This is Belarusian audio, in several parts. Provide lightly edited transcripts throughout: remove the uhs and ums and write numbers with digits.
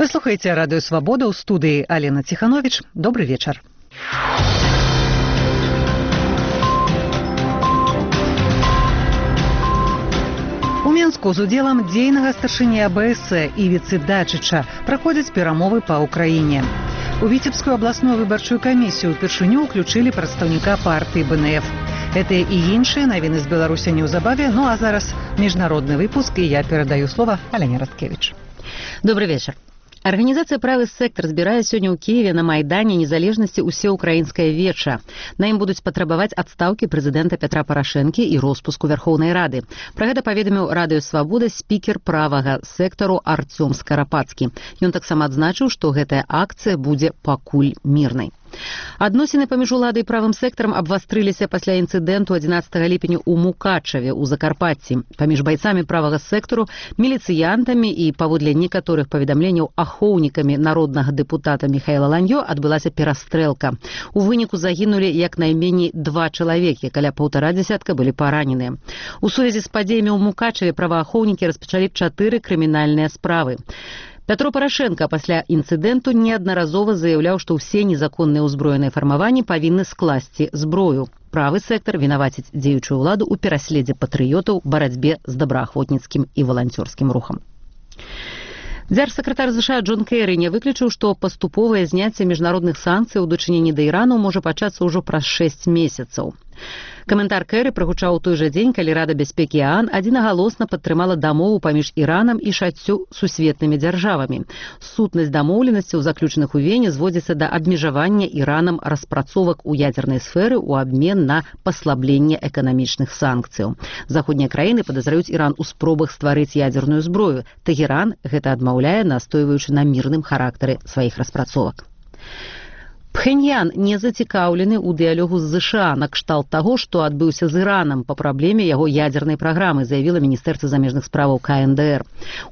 Вы слухаеце радыё Свабода, ў студыі Алена Ціхановіч. Добры вечар. У Мінску з удзелам дзейнага старшыні АБС Івіцы Дачыча праходзяць перамовы па Ўкраіне. У Віцебскую абласную выбарчую камісію ўпершыню ўключылі прадстаўніка партыі БНФ. Гэтыя і іншыя навіны з Беларусі неўзабаве, ну а зараз міжнародны выпуск, і я перадаю слова Аляне Радкевіч. Добрый вечер. Организация «Правый сектор» збірае сёння ў Киеве на Майдане Незалежнасці ўсеўкраінскае веча. На ім будуць патрабаваць адстаўкі прэзідэнта Петра Парашэнкі і роспуску Вярхоўнай Рады. Пра гэта паведаміў радыё Свабода спікер правага сектару Артём Скарапацкі. Ён таксама адзначыў, што гэтая акцыя будзе пакуль мірнай. Адносіны паміж уладай і правым сектарам абвастрыліся пасля інцыдэнту 11 ліпеня ў Мукачаве ў Закарпатці. Паміж байцамі правага сектару, міліцыянтамі і, паводле некаторых паведамленняў, ахоўнікамі народнага дэпутата Міхаіла Ланьё адбылася перастрэлка. У выніку загінулі як найменей 2 чалавекі, каля 1,5 дзясятка былі параненыя. У сувязі з падзеямі ў Мукачаве праваахоўнікі распачалі 4 крымінальныя справы. Пятро Парашенко пасля інцыдэнту неаднаразова заяўляў, што ўсе незаконныя ўзброеныя фармаванні павінны скласці зброю. Правы сектар вінаваціць дзеючую ўладу ў пераследзе патрыётаў, барацьбе з добраахвотніцкім і валанцёрскім рухам. Дзяржсакратар США Джон Кэры не выключыў, што паступовае зняцце міжнародных санкцый у дачыненні да Ірану можа пачацца ўжо праз 6 месяцаў. Каментар Кэры прагучаў у той жа дзень, калі Рада бяспекі ААН адзінагалосна падтрымала дамову паміж Іранам і 6 сусветнымі дзяржавамі. Сутнасць дамоўленасцяў, заключаных у Вене, зводзіцца да абмежавання Іранам распрацовак у ядзернай сферы ў абмен на паслабленне эканамічных санкцыяў. Заходнія краіны падазраюць Іран у спробах стварыць ядзерную зброю. Тэгеран гэта адмаўляе, настойваючы на мірным характары сваіх распрацовак. Пхеньян не зацікаўлены ў дыялогу з ЗША накшталт таго, што адбыўся з Іранам па праблеме яго ядзернай праграмы, заявіла Міністэрства замежных справаў КНДР.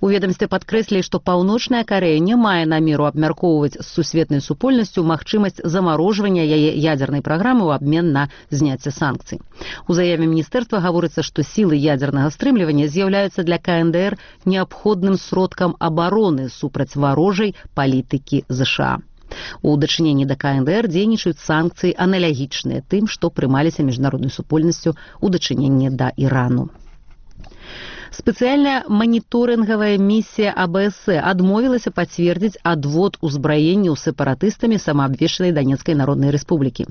У ведамстве падкрэслілі, што Паўночная Карэя не мае намеру абмяркоўваць з сусветнай супольнасцю магчымасць замарожвання яе ядзернай праграмы ў абмен на зняцце санкцый. У заяве міністэрства гаворыцца, што сілы ядзернага стрымлівання з'яўляюцца для КНДР неабходным сродкам абароны супраць варожай палітыкі ЗША. У дачыненні да КНДР дзейнічаюць санкцыі аналагічныя тым, што прымаліся міжнароднай супольнасцю ў дачыненні да Ірану. Спецыяльная маніторынгавая місія АБС адмовілася пацвердзіць адвод узбраенняў сепаратыстамі самаабвешчанай Данецкай Народнай Рэспублікі.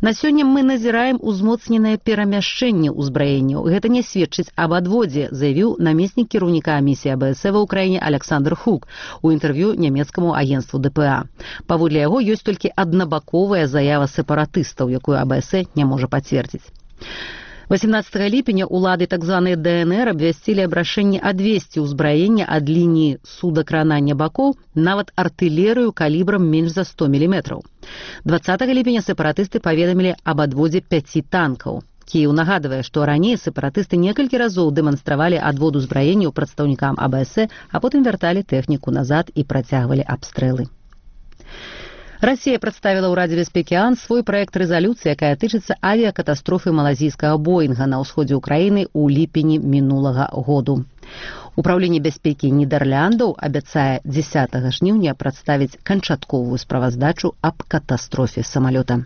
На сёння мы назіраем узмоцненае перамяшчэнне ўзбраенняў. Гэта не сведчыць аб адводзе, заявіў намеснік кіраўніка місіі АБС ва ўкраіне Александр Хук у інтэрв'ю нямецкаму агенцтву ДПА. Паводле яго ёсць толькі аднабаковая заява сепаратыстаў, якую АБС не можа пацвердзіць. 18 ліпеня улады так званай ДНР абвясцілі аб рашэнні адвесці ўзбраення ад лініі судакранання бакоў нават артылерыю калібрам менш за 100 мм. 20 ліпеня сепаратысты паведамілі аб адводзе 5 танкаў. Кіеў нагадвае, што раней сепаратысты некалькі разоў дэманстравалі адвод узбраенняў прадстаўнікам АБС, а потым вярталі тэхніку назад і працягвалі абстрэлы. Расія прадставіла ў Радзе бяспекі ААН свой праект рэзалюцыі, якая тычыцца авіякатастрофы малазійскага Боінга на ўсходзе ўкраіны ў ліпені мінулага году. Управленне бяспекі Нідэрляндаў абяцае 10 жніўня прадставіць канчатковую справаздачу аб катастрофе самалёта.